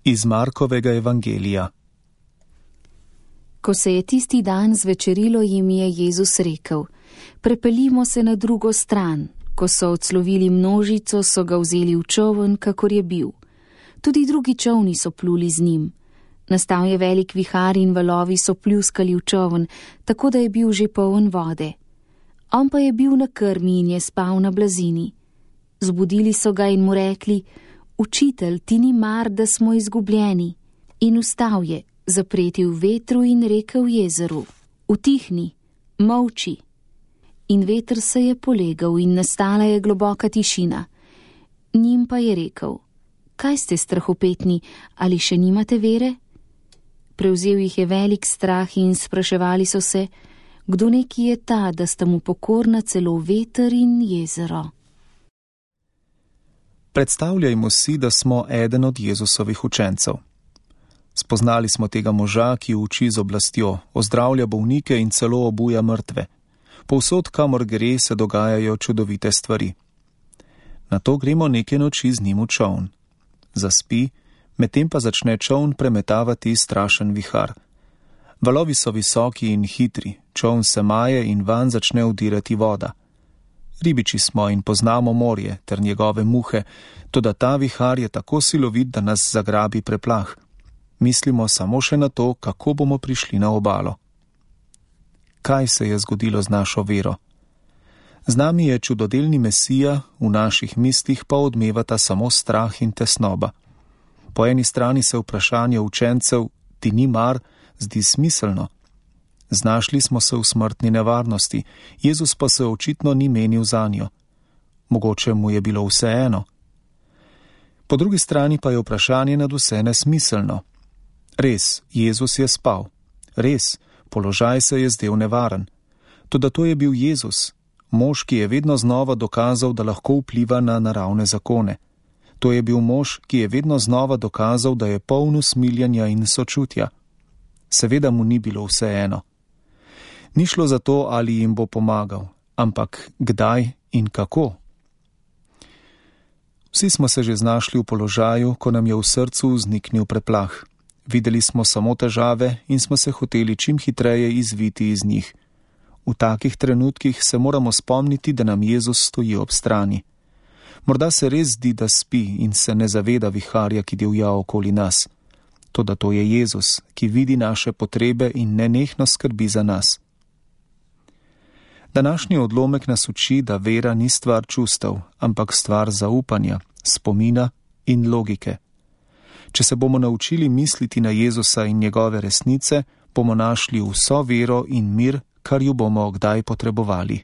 Iz Markovega evangelija. Ko se je tisti dan zvečerilo, jim je Jezus rekel: Prepeljimo se na drugo stran. Ko so odslovili množico, so ga vzeli v čoln, kakor je bil. Tudi drugi čolni so pluli z njim. Nastal je velik vihar in valovi so pljuskali v čoln, tako da je bil že poln vode. On pa je bil na krmi in je spal na blazini. Zbudili so ga in mu rekli: Učitelj, ti ni mar, da smo izgubljeni. In vstal je, zapretil vetru in rekel jezeru: Utihni, molči. In veter se je polegal in nastala je globoka tišina. Njim pa je rekel: Kaj ste strahopetni, ali še nimate vere? Prevzel jih je velik strah in spraševali so se, kdo neki je ta, da sta mu pokorna celo veter in jezero. Predstavljajmo si, da smo eden od Jezusovih učencev. Spoznali smo tega moža, ki uči z oblastjo, ozdravlja bolnike in celo obuja mrtve. Povsod, kamor gre, se dogajajo čudovite stvari. Nato gremo neke noči z njim v čoln. Zaspi, medtem pa začne čoln premetavati strašen vihar. Valovi so visoki in hitri, čoln se maje in vanj začne vdirati voda. Ribiči smo in poznamo morje ter njegove muhe, toda ta vihar je tako silovit, da nas zagrabi preplah. Mislimo samo še na to, kako bomo prišli na obalo. Kaj se je zgodilo z našo vero? Z nami je čudodelni Mesija, v naših mislih pa odmevata samo strah in tesnoba. Po eni strani se vprašanje učencev, ti ni mar, zdi smiselno. Znašli smo se v smrtni nevarnosti, Jezus pa se očitno ni menil zanjo. Mogoče mu je bilo vseeno. Po drugi strani pa je vprašanje nadvse nesmiselno. Res, Jezus je spal. Res, položaj se je zdel nevaren. Toda to je bil Jezus, mož, ki je vedno znova dokazal, da lahko vpliva na naravne zakone. To je bil mož, ki je vedno znova dokazal, da je poln usmiljenja in sočutja. Seveda mu ni bilo vseeno. Ni šlo za to, ali jim bo pomagal, ampak kdaj in kako. Vsi smo se že znašli v položaju, ko nam je v srcu vzniknil preplah. Videli smo samo težave in smo se hoteli čim hitreje izviti iz njih. V takih trenutkih se moramo spomniti, da nam Jezus stoji ob strani. Morda se res zdi, da spi in se ne zaveda viharja, ki divja okoli nas. Toda to je Jezus, ki vidi naše potrebe in nenehno skrbi za nas. Današnji odlomek nas uči, da vera ni stvar čustev, ampak stvar zaupanja, spomina in logike. Če se bomo naučili misliti na Jezusa in njegove resnice, bomo našli vso vero in mir, kar ju bomo kdaj potrebovali.